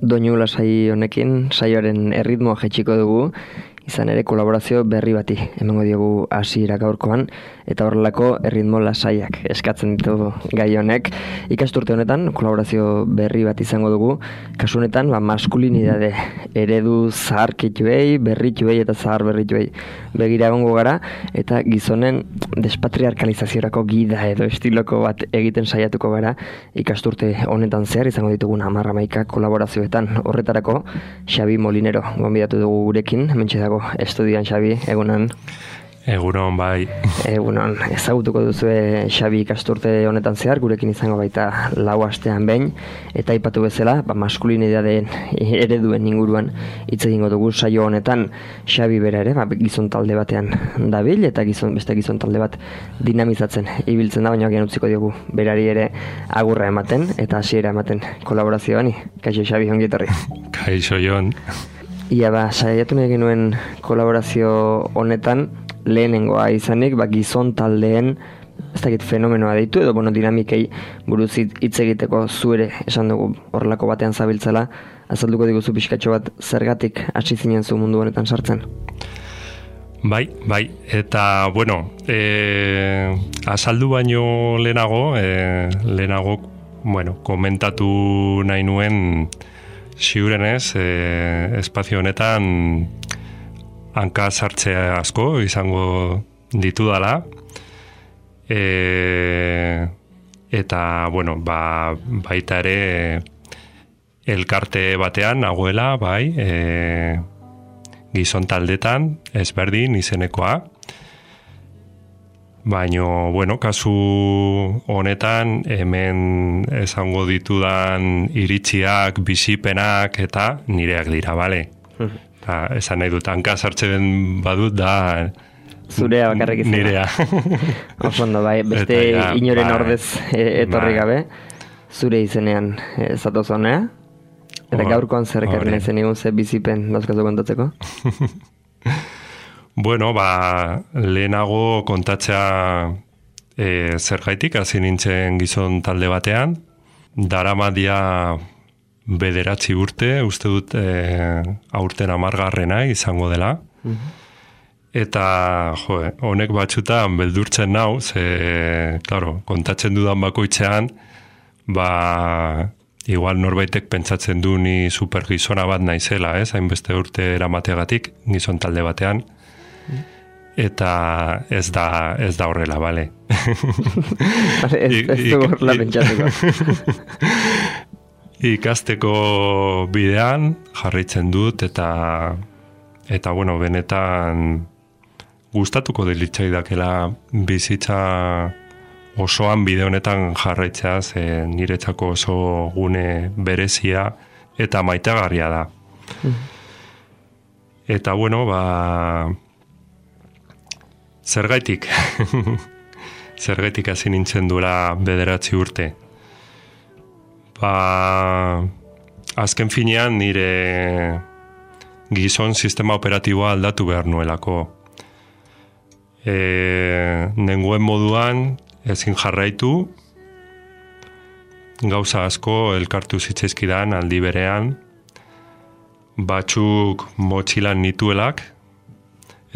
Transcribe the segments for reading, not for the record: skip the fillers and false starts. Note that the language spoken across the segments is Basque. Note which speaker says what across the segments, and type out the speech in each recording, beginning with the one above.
Speaker 1: doinu lasai honekin, saioaren erritmoa jaitsiko dugu, izan ere kolaborazio berri bati emango diogu hasiera gaurkoan, eta horrelako erritmo lasaiak eskatzen ditu gai honek. Ikasturte honetan kolaborazio berri bat izango dugu, kasu honetan maskulinidade eredu zaharkituei, berrituei eta zahar berrituei begira egongo gara, eta gizonen despatriarkalizaziorako gida edo estiloko bat egiten saiatuko gara ikasturte honetan zehar izango ditugun 10-11 kolaborazioetan. Horretarako Xabi Molinero gonbidatu dugu gurekin, hementxe dago estudian. Xabi, egunon.
Speaker 2: Egunon, bai.
Speaker 1: Egunon, ezagutuko duzue Xabi ikasturte honetan zehar, gurekin izango baita 4 astean behin, eta aipatu bezala, maskulinidadeen ereduen inguruan hitz egingo dugu saio honetan. Xabi bera ere, gizon talde batean dabil, eta beste gizon talde bat dinamizatzen ibiltzen da, baina agian utziko diogu berari ere agurra ematen, eta hasiera ematen kolaborazioani. Kaixo Xabi, ongi etorri.
Speaker 2: Kaixo Jon.
Speaker 1: Ia saiatu nahi genuen kolaborazio honetan, lehenengoa izanik, gizon taldeen, ez dakit fenomenoa deitu, edo dinamikei buruz hitz egiteko zuere esan dugu horrelako batean zabiltzala, azalduko diguzu pixkatxo bat zergatik hasi zinen zu mundu honetan sartzen?
Speaker 2: Bai, eta, azaldu baino lehenago, komentatu nahi nuen ziurenez, espazio honetan hanka sartzea asko izango ditudala, eta, baita ere elkarte batean nagoela, bai, gizon taldetan, ezberdin izenekoa, baino, kasu honetan hemen esango ditudan iritziak, bizipenak eta nireak dira, bale? Esan nahi dut, hanka sartzen badut da
Speaker 1: zurea bakarrik izan.
Speaker 2: Nirea.
Speaker 1: Osondo, bai, beste inoren ordez etorri gabe, zure izenean zatoz honea, eta gaurkoan zer ekarri nahi zen egun ze bizipen dauzkazu kontatzeko?
Speaker 2: Lehenago kontatzea zergaitik hasi nintzen gizon talde batean, daramadia 9 urte, uste dut aurten 10. izango dela. Eta, honek batzutan beldurtzen nau, kontatzen dudan bakoitzean, igual norbaitek pentsatzen du ni supergizona bat naizela, hainbeste urte eramateagatik, gizon talde batean. Eta ez da horrela, bale?
Speaker 1: Ez du horrela pentsatuko.
Speaker 2: Ikasteko bidean jarraitzen dut eta benetan gustatuko delitzaidakeela bizitza osoan bide honetan jarraitzea, niretzako oso gune berezia eta maitagarria da. Eta zergaitik hasi nintzen duela 9 urte. Azken finean nire gizon sistema operatiboa aldatu behar nuelako. Nengoen moduan ezin jarraitu, gauza asko elkartu zitzaizkidan aldi berean, batzuk motxilan nituelak,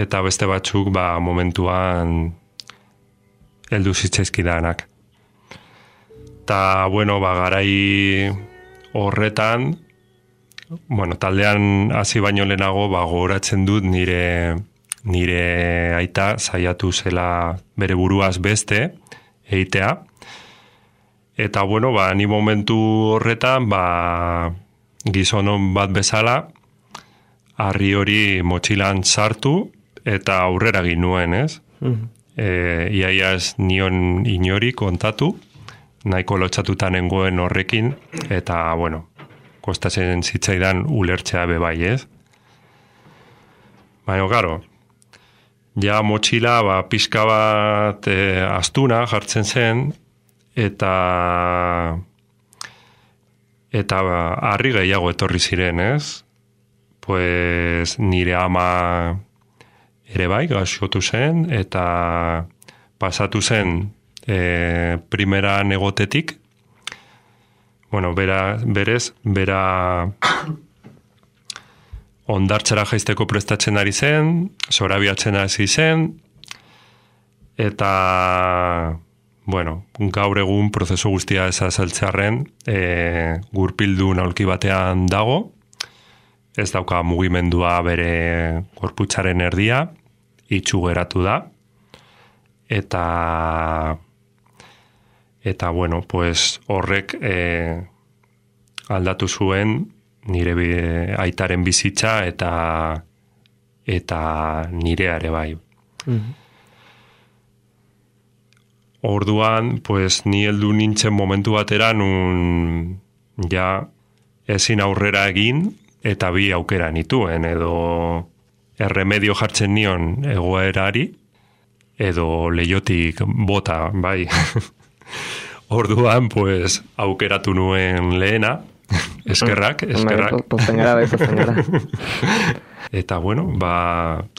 Speaker 2: eta beste batzuk momentuan heldu zitzaizkidanak. Eta, garai horretan, taldean hasi baino lehenago, gogoratzen dut nire aita saiatu zela bere buruaz beste egitea. Eta, ni momentu horretan, gizonon bat bezala, harri hori motxilan sartu eta aurrera ginuen, ez? Iaia ez nion inori kontatu, nahiko lotxatuta nengoen horrekin, eta, kostatzen zitzaidan ulertzea bebai, ez? Baina, karo, ja motxila pixka bat astuna jartzen zen, eta harri gehiago etorri ziren, ez? Pues nire ama ere bai, gaixotu zen, eta pasatu zen primeran egotetik, bueno, bera ondartxara jaisteko prestatzen ari zen, zorabiatzen hasi zen, eta, bueno, gaur egun prozesu guztia ez azaltzearren, gurpildun aulki batean dago, ez dauka mugimendua bere gorputzaren erdia, itxu geratu da, eta bueno, pues horrek aldatu zuen nire aitaren bizitza eta nire ere bai. Orduan, pues ni heldu nintzen momentu batera nun ja ezin aurrera egin eta bi aukera nituen edo erremedio jartzen nion egoerari edo leiotik bota, bai. Orduan, pues aukeratu nuen lehena, eskerrak.
Speaker 1: Pozten gara.
Speaker 2: Eta bueno,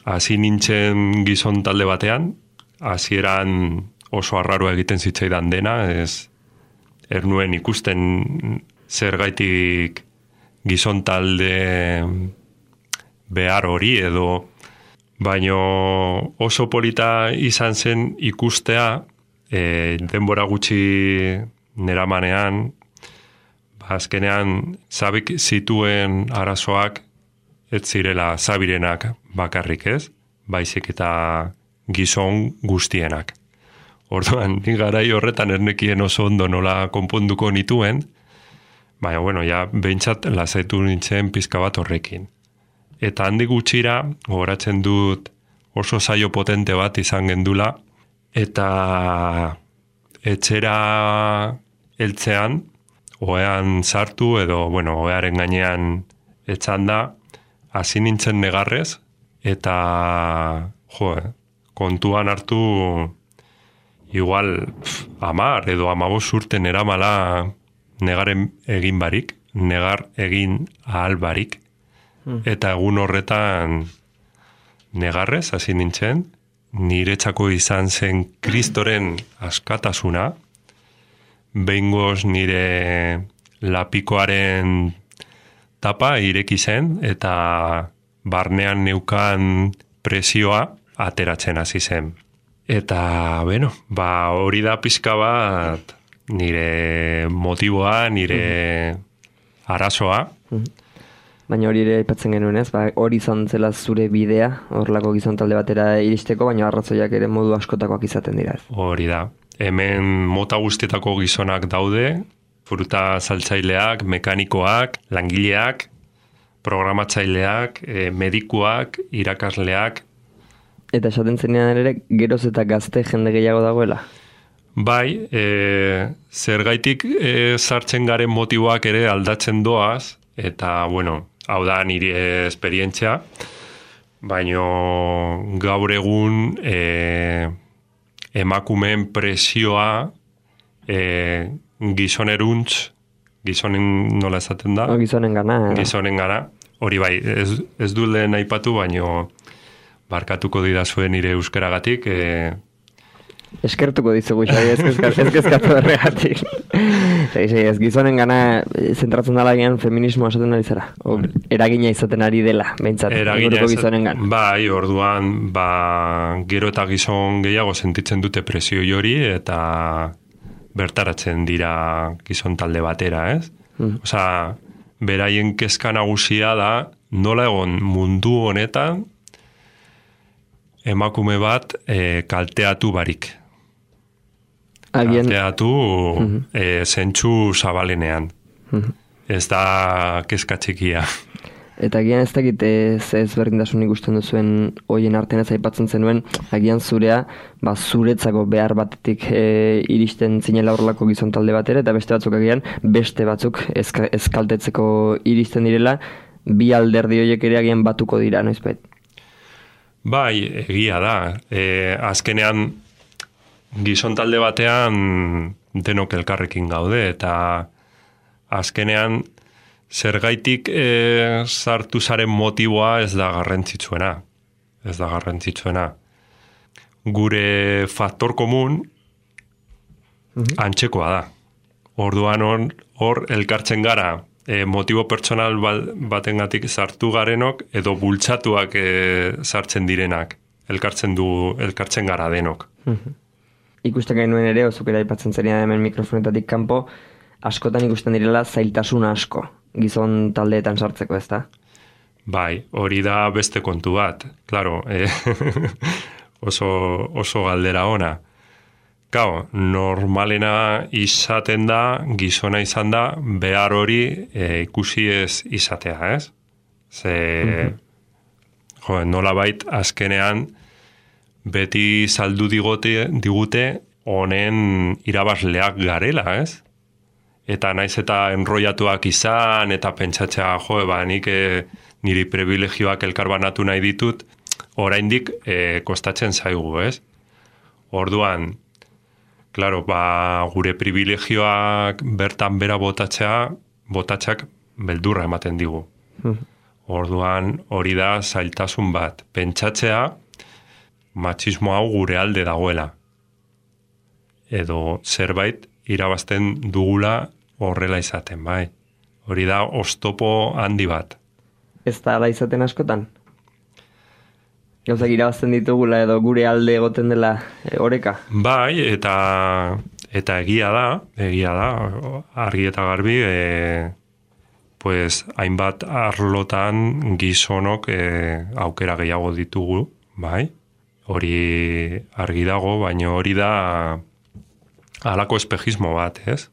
Speaker 2: hasi nintzen gizon talde batean, hasieran oso arraroa egiten zitzaidan dena, ernuen ikusten zergaitik gizon talde behar hori edo, baino oso polita izan zen ikustea, denbora gutxi neramanean, azkenean zabik zituen arazoak ez zirela zabirenak bakarrik ez, baizik eta gizon guztienak. Orduan, ni garai horretan ernekien oso ondo nola konponduko nituen, baina, bueno, ja, behintzat lasaitu nintzen pizka bat horrekin. Eta handi gutxira, gogoratzen dut oso saio potente bat izan gendula, eta etxera heltzean, ohean sartu edo, bueno, ohearen gainean etzan da, hasi nintzen negarrez, eta, kontuan hartu igual 10 edo 15 urten eramala negaren egin barik, negar egin ahal barik, eta egun horretan negarrez hasi nintzen, niretzako izan zen Kristoren askatasuna, behingoz nire lapikoaren tapa ireki zen, eta barnean neukan presioa ateratzen hasi zen. Eta, bueno, hori da pizka bat nire motiboa, nire arazoa.
Speaker 1: Baina hori ere aipatzen genuen ez, hori izan zela zure bidea, horlako gizon talde batera iristeko, baina arrazoiak ere modu askotakoak izaten dira ez.
Speaker 2: Hori da. Hemen mota guztietako gizonak daude, fruta saltzaileak, mekanikoak, langileak, programatzaileak, medikuak, irakasleak.
Speaker 1: Eta esaten zenean ere, geroz eta gazte jende gehiago dagoela?
Speaker 2: Bai, zergaitik sartzen garen motiboak ere aldatzen doaz, eta, bueno, hau da nire esperientzia, baino gaur egun emakumeen presioa gizoneruntz, gizonen nola esaten da?
Speaker 1: Gizonen gana.
Speaker 2: Gizonen gara. Hori bai, ez du lehen aipatu, baino barkatuko didazuen nire euskaragatik.
Speaker 1: Eskertuko dizugu, Xabi, ez kezkatu erregatik. Ez gizonen gana zentratzen dala gian feminismoa esaten ari zara. Eragina izaten ari dela, behintzat.
Speaker 2: Eragina
Speaker 1: gizonen gana.
Speaker 2: Bai, orduan, gero eta gizon gehiago sentitzen dute presio hori eta bertaratzen dira gizon talde batera, ez? Osea, beraien kezka nagusia da nola egon mundu honetan emakume bat kalteatu barik. Kalteatu zentsu zabalenean. Ez da kezka txikia.
Speaker 1: Eta agian ez dakit ez berdintasun ikusten duzuen hoien artean ez aipatzen zenuen, agian zurea zuretzako behar batetik iristen zinela horrelako gizon talde batera, eta beste batzuk agian beste batzuk ezkaltetzeko iristen direla, bi alderdi horiek ere agian batuko dira, noizbait?
Speaker 2: Bai, egia da. Azkenean gizon talde batean denok elkarrekin gaude, eta azkenean zergaitik sartu zaren motiboa ez da garrantzitsuena. Ez da garrantzitsuena. Gure faktor komun antzekoa da. Orduan hor elkartzen gara motibo pertsonal batengatik sartu garenok edo bultzatuak sartzen direnak. Elkartzen gara denok.
Speaker 1: Ikusten gainuen ere, ozukera aipatzen zeria hemen mikrofonetatik kanpo, askotan ikusten direla zailtasuna asko, gizon taldeetan sartzeko, ez da?
Speaker 2: Bai, hori da beste kontu bat. Claro, oso galdera ona. Gau, normalena izaten da, gizona izan da, behar hori ikusi ez izatea, ez? Nolabait azkenean beti saldu digute honen irabazleak garela, ez? Eta naiz eta enroiatuak izan, eta pentsatzea, nik niri privilegioak elkarbanatu nahi ditut, oraindik kostatzen zaigu, ez? Orduan, claro, gure privilegioak bertan bera botatxak beldurra ematen digu. Orduan, hori da zailtasun bat. Pentsatzea, matxismo hau gure alde dagoela. Edo zerbait irabazten dugula horrela izaten, bai. Hori da oztopo handi bat.
Speaker 1: Ez da ala izaten askotan? Gauzak irabazten ditugula edo gure alde egoten dela oreka?
Speaker 2: Bai, eta egia da, argi eta garbi, pues hainbat arlotan gizonok aukera gehiago ditugu, bai? Hori argi dago, baina hori da halako espejismo bat, ez?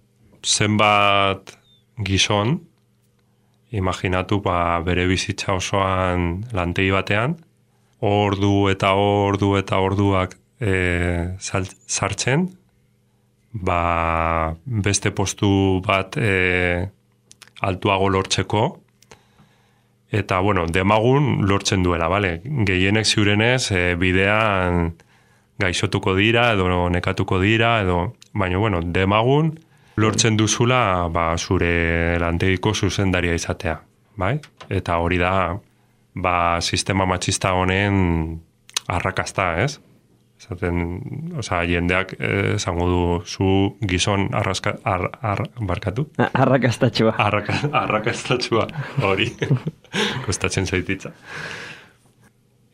Speaker 2: Zenbat gizon, imaginatu bere bizitza osoan lantegi batean, orduak sartzen, beste postu bat altuago lortzeko, eta, demagun lortzen duela, bale? Gehienek ziurenez, bidean gaixotuko dira, edo nekatuko dira, baina, demagun lortzen duzula, zure lantegiko zuzendaria izatea, bai? Eta hori da, sistema matxista honen arrakasta, ez? Jendeak esango du zu gizon barkatu?
Speaker 1: Arrakastatxua.
Speaker 2: Arrakastatxua, hori. Kostatzen zaititza.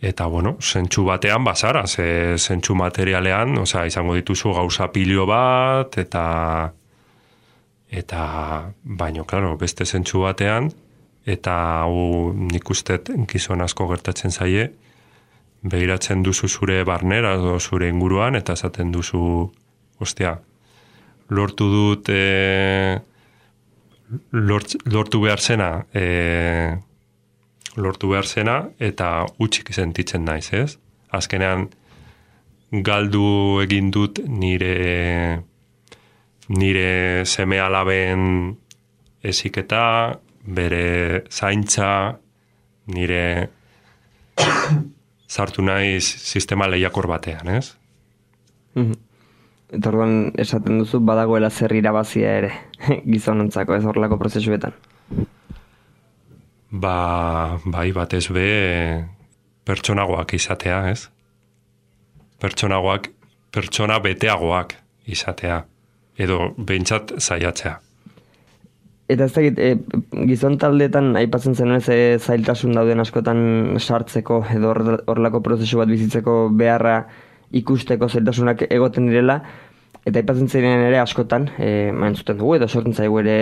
Speaker 2: Eta, zentsu batean bazara, zentsu materialean, izango dituzu gauza pilio bat, eta baino, klaro, beste zentsu batean, eta hau nik ustet gizon asko gertatzen zaie, begiratzen duzu zure barnera edo zure inguruan, eta esaten duzu, lortu dut, lortu behar zena, eta utxik sentitzen naiz, ez? Azkenean, galdu egin dut nire seme alaben eziketa, bere zaintza, nire sartu naiz sistema lehiakor batean, ez?
Speaker 1: Eta orduan esaten duzu badagoela zer irabazia ere gizonontzako, ez horrelako prozesuetan?
Speaker 2: Bai, batez be pertsonagoak izatea, ez? Pertsona beteagoak izatea, edo behintzat saiatzea.
Speaker 1: Eta ez dakit, gizon taldeetan aipatzen zenuen zailtasun dauden askotan sartzeko edo horrelako prozesu bat bizitzeko beharra ikusteko zailtasunak egoten direla, eta aipatzen zenuen ere askotan, entzuten dugu edo sortzen zaigu ere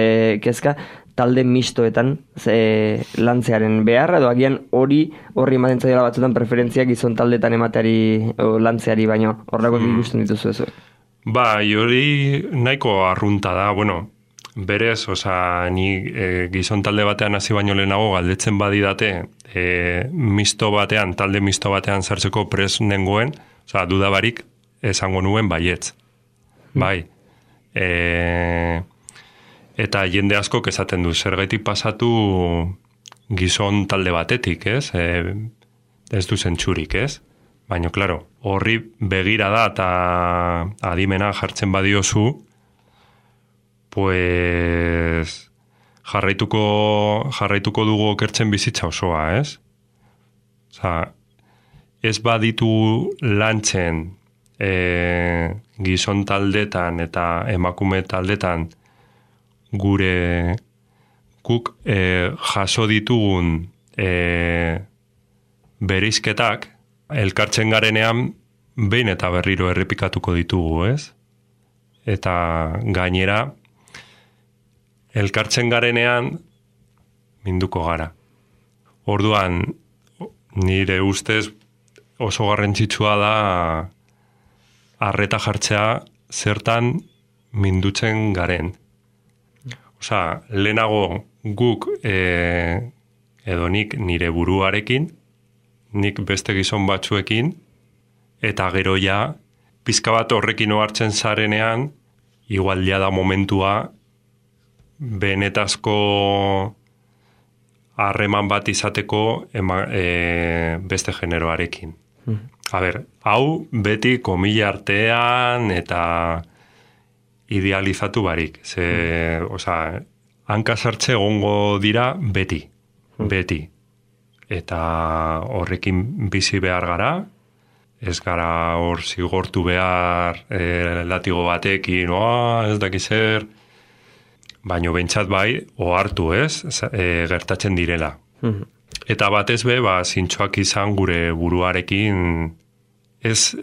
Speaker 1: kezka, talde mistoetan lantzearen beharra, edo agian horri ematen zaiola batzutan preferentzia gizon taldeetan emateari lantzeari, baino horrelako ikusten dituzu ez?
Speaker 2: Bai, hori nahiko arrunta da, berez, ni gizon talde batean hasi baino lehenago galdetzen badidate talde misto batean sartzeko pres nengoen, dudabarik esango nuen baietz. Bai. Eta jende askok esaten du, zergaitik pasatu gizon talde batetik, ez? Ez du zentsurik, ez? Baina, klaro, horri begira da eta adimena jartzen badiozu, pues jarraituko dugu okertzen bizitza osoa, ez? Ez baditu lantzen gizon taldetan eta emakume taldetan guk jaso ditugun bereizketak elkartzen garenean behin eta berriro errepikatuko ditugu, ez? Eta gainera elkartzen garenean minduko gara. Orduan, nire ustez oso garrantzitsua da arreta jartzea zertan mindutzen garen. Osea, lehenago guk edo nik nire buruarekin, nik beste gizon batzuekin, eta gero ja, pizka bat horrekin ohartzen zarenean, igual ja da momentua benetazko harreman bat izateko beste generoarekin. A ber, hau beti komila artean eta idealizatu barik. Osea, hanka sartze egongo dira beti. Eta horrekin bizi behar gara, ez gara hor zigortu behar latigo batekin, ez dakiz zer, baino bentsat bai, ohartu ez, gertatzen direla. Eta batez be, zintxoak izan gure buruarekin ez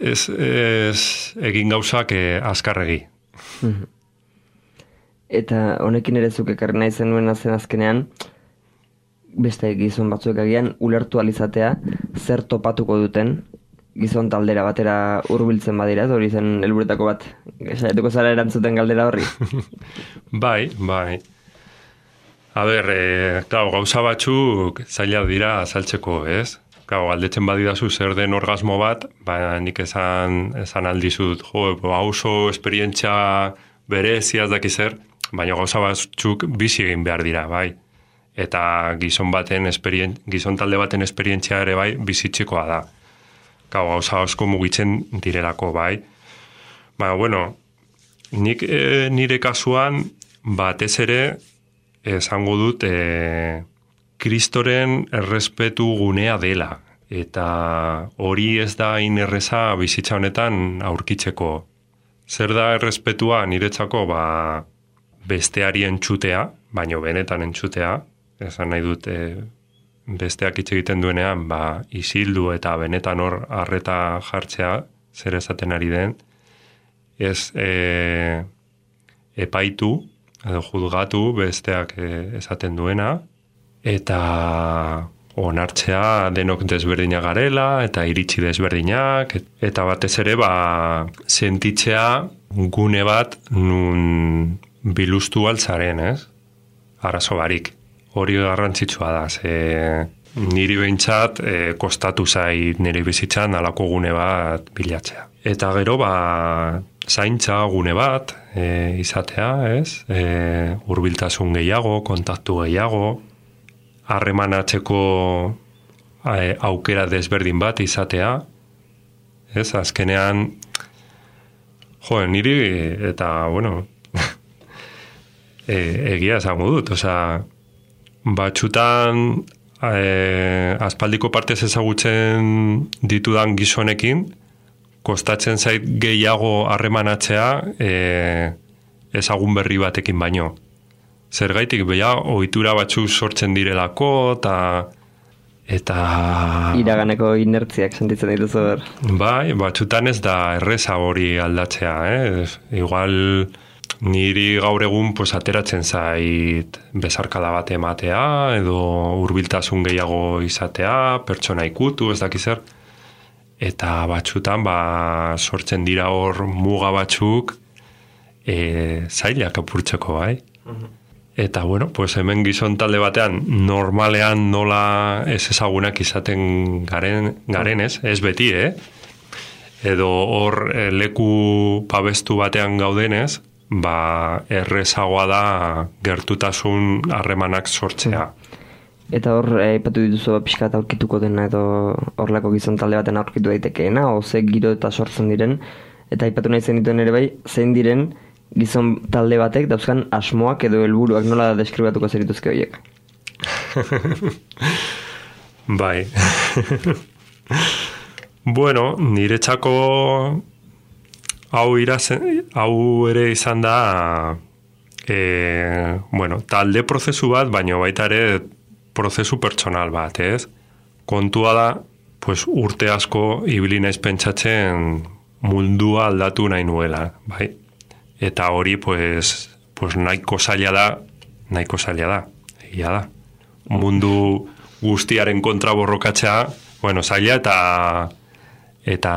Speaker 2: egin gauzak azkarregi.
Speaker 1: Eta honekin ere zuk ekarri nahi zenuen azkenean, beste gizon batzuek agian ulertu alizatea zer topatuko duten gizon taldera batera hurbiltzen badira, hori zen helburuetako bat. Saiatuko zara erantzuten galdera horri?
Speaker 2: Bai. A ber, gauza batzuk zaila dira azaltzeko, ez? Galdetzen badidazu zer den orgasmo bat, nik esan aldizut, oso esperientzia bereziaz dakiz zer, baina gauza batzuk bizi egin behar dira, bai. Eta gizon talde baten esperientzia ere bai bizitzikoa da. Gauza asko mugitzen direlako, bai. Baina, bueno, nik nire kasuan batez ere esango dut Kristoren errespetu gunea dela. Eta hori ez da inerreza bizitza honetan aurkitzeko. Zer da errespetua niretzako besteari entzutea, baino benetan entzutea, esan nahi dut besteak hitz egiten duenean, isildu eta benetan hor arreta jartzea, zer esaten ari den, ez epaitu, edo juzgatu besteak esaten duena, eta onartzea denok desberdinak garela, eta iritsi desberdinak, eta batez ere sentitzea gune bat nun biluztu altzaren, ez? Arazo barik. Hori garrantzitsua da, niri behintzat kostatu zait nire bizitzan alako gune bat bilatzea. Eta gero zaintza gune bat izatea, ez? Hurbiltasun gehiago, kontaktu gehiago, harremanatzeko aukera desberdin bat izatea, ez? Azkenean, niri eta, bueno, egia esango dut, batxutan aspaldiko partez ezagutzen ditudan gizonekin, kostatzen zait gehiago harremanatzea ezagun berri batekin baino. Zergaitik ohitura batzuk sortzen direlako, eta
Speaker 1: iraganeko inertziak sentitzen dituzu ber.
Speaker 2: Bai, batxutan ez da erreza hori aldatzea, Igual niri gaur egun ateratzen zait bezarkada bat ematea, edo hurbiltasun gehiago izatea, pertsona ikutu, ez dakiz zer. Eta batzutan sortzen dira hor muga batzuk zailak apurtzeko, bai? Eta, bueno, hemen gizon talde batean normalean nola ez ezagunak izaten garen ez beti, Edo hor leku babestu batean gaudenez, errezagoa da gertutasun harremanak sortzea.
Speaker 1: Eta hor, aipatu dituzu pixkat aurkituko dena edo horlako gizon talde baten aurkitu daitekeena, ze giro eta sortzen diren, eta aipatu nahi zen dituen ere bai, zein diren gizon talde batek dauzkan asmoak edo helburuak nola deskribatuko zerituzke horiek?
Speaker 2: Bai. Bueno, niretzako hau ere izan da talde prozesu bat, baina baita ere prozesu pertsonal bat, ez? Kontua da, pues, urte asko ibili naiz pentsatzen mundua aldatu nahi nuela, bai? Eta hori, pues nahiko zaila da, egia da. Mundu guztiaren kontra borrokatzea, zaila eta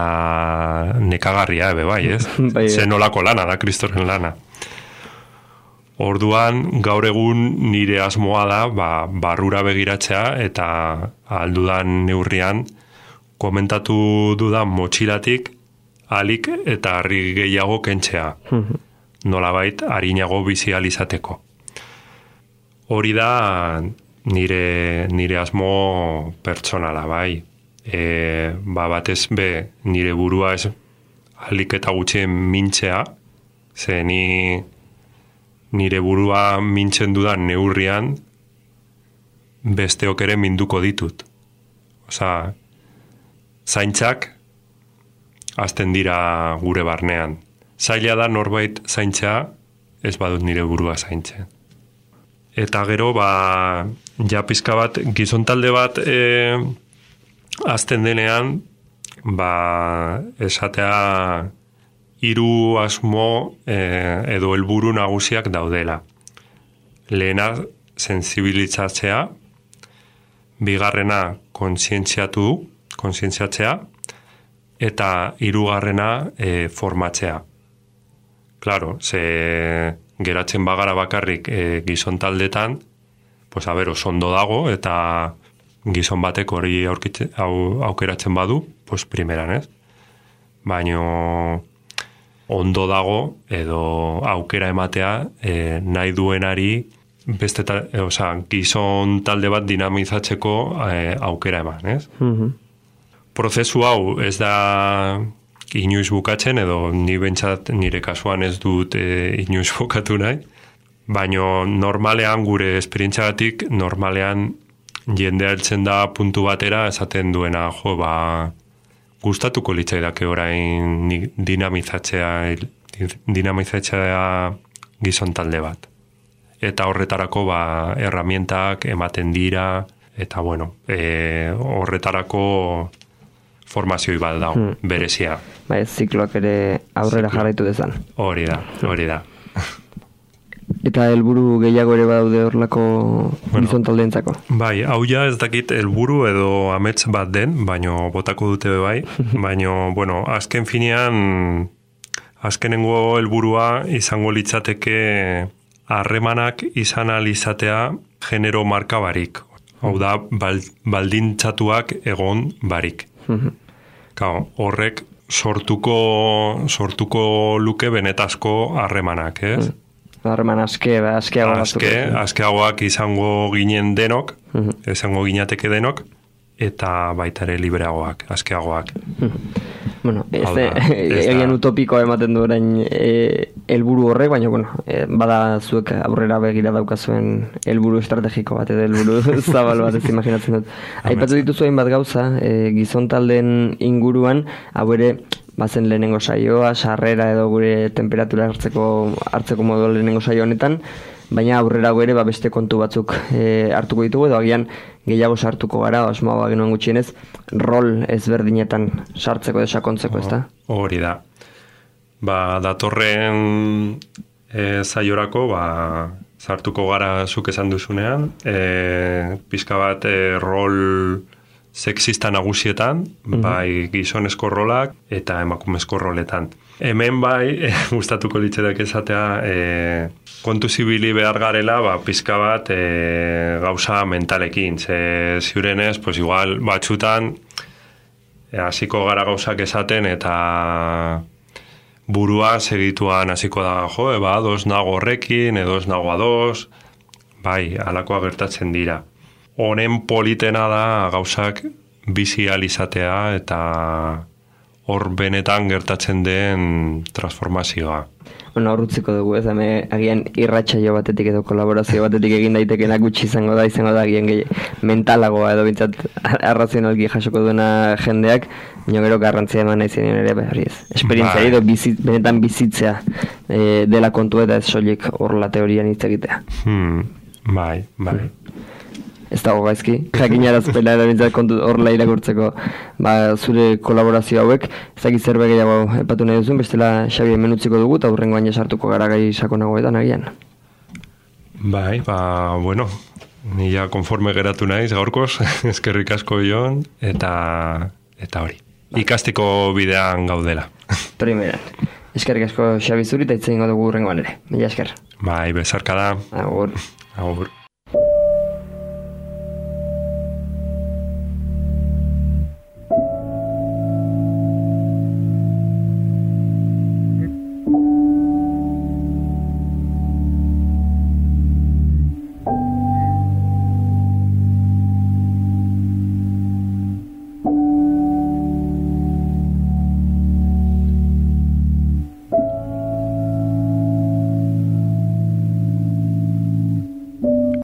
Speaker 2: nekagarria, bai, ez? Zen nolako lana da, Kristoren lana. Orduan, gaur egun nire asmoa da, barrura begiratzea eta aldudan neurrian komentatu dudan motxilatik alik eta harri gehiago kentzea. Nolabait, harinago bizializateko. Hori da nire asmo pertsonala, bai. Batez be, nire burua ez alik eta gutxien mintzea, ze nire burua mintzen dudan neurrian besteok ere minduko ditut. Osa, zaintzak azten dira gure barnean. Zaila da norbait zaintzea, ez badut nire burua zaintzen. Eta gero, ja pizka bat, gizontalde bat azten denean, esatea hiru asmo edo helburu nagusiak daudela. Lehena, sensibilitzatzea, bigarrena, kontzientziatzea, eta hirugarrena formatzea. Claro, ze geratzen bagara bakarrik gizontaldetan, pues ondo dago, eta gizon batek hori aukeratzen badu, pues primeran, ez? Baina ondo dago edo aukera ematea nahi duenari gizon talde bat dinamizatzeko aukera eman, ez? Prozesu hau ez da inoiz bukatzen, edo ni bentsat nire kasuan ez dut inoiz bukatu nahi, baina normalean gure esperientziagatik, normalean jendea heltzen da puntu batera esaten duena, gustatuko litzaidake orain dinamizatzea gizon talde bat. Eta horretarako herramientak ematen dira, eta horretarako formazioi bat dago, berezia.
Speaker 1: Zikloak ere aurrera jarraitu dezan.
Speaker 2: Hori da.
Speaker 1: Eta helburu gehiago ere badaude horlako gizon taldeentzako?
Speaker 2: Bai, hau ja ez dakit helburu edo amets bat den, baino botako dute bai, baino, azken finean, azkenengo helburua izango litzateke harremanak izan alizatea genero marka barik. Hau da, baldintzatuak egon barik. Horrek sortuko luke benetazko harremanak, ez?
Speaker 1: Harreman
Speaker 2: askeagoak izango ginen denok, izango ginateke denok, eta baita ere libreagoak, askeagoak.
Speaker 1: Egin utopikoa ematen du orain helburu horrek, baina bada zuek aurrera begira daukazuen helburu estrategiko bat edo helburu zabal bat ez imaginatzen dut. Aipatu dituzu hainbat gauza, gizon taldeen inguruan, hau ere bazen lehenengo saioa, sarrera edo gure temperatura hartzeko modu lehenengo saio honetan, baina aurrera gure beste kontu batzuk hartuko ditugu, edo agian gehiago sartuko gara, asmoa genuen gutxienez, rol ezberdinetan sartzeko edo sakontzeko, ez da?
Speaker 2: Hori da. Datorren saiorako, sartuko gara zuk esan duzunean, pizka bat rol sexista nagusietan, bai gizonezko rolak eta emakumezko roletan. Hemen gustatuko litzetak esatea, kontu zibili behar garela, pizka bat gauza mentalekin. Ziurenez, igual batzutan, hasiko gara gauzak esaten eta burua segituan hasiko da, ados nago horrekin, edo ez nago ados, halakoa gertatzen dira. Honen politena da gauzak bizializatea eta hor benetan gertatzen den transformazioa.
Speaker 1: Bueno, horrutziko dugu, ez, agian irratsaio batetik edo kolaborazio batetik egin daitekeena gutxi izango da agian mentalagoa edo bintzat arrazionalki jasoko duena jendeak, baina gero garrantzia eman nahi zenien ere, hori ez, esperientzia edo benetan bizitzea dela kontu eta ez soilik horrela teorian hitz egitea.
Speaker 2: Bai.
Speaker 1: Ez dago gaizki, jakinarazpena edo bintzat kontu horrela irakurtzeko zure kolaborazio hauek, ezakit zerbait gehiago epatu nahi duzun, bestela Xabi hemen utziko dugu eta hurrengoan sartuko gara gai sakonagoetan agian.
Speaker 2: Bai, bueno, ni ja konforme geratu naiz gaurkoz, eskerrik asko Jon, eta hori, ikasteko bidean gaudela.
Speaker 1: Primeran, eskerrik asko Xabi zuri eta hitz egingo dugu hurrengoan ere, mila esker.
Speaker 2: Bai, bezarka da.
Speaker 1: Agur.
Speaker 2: Agur.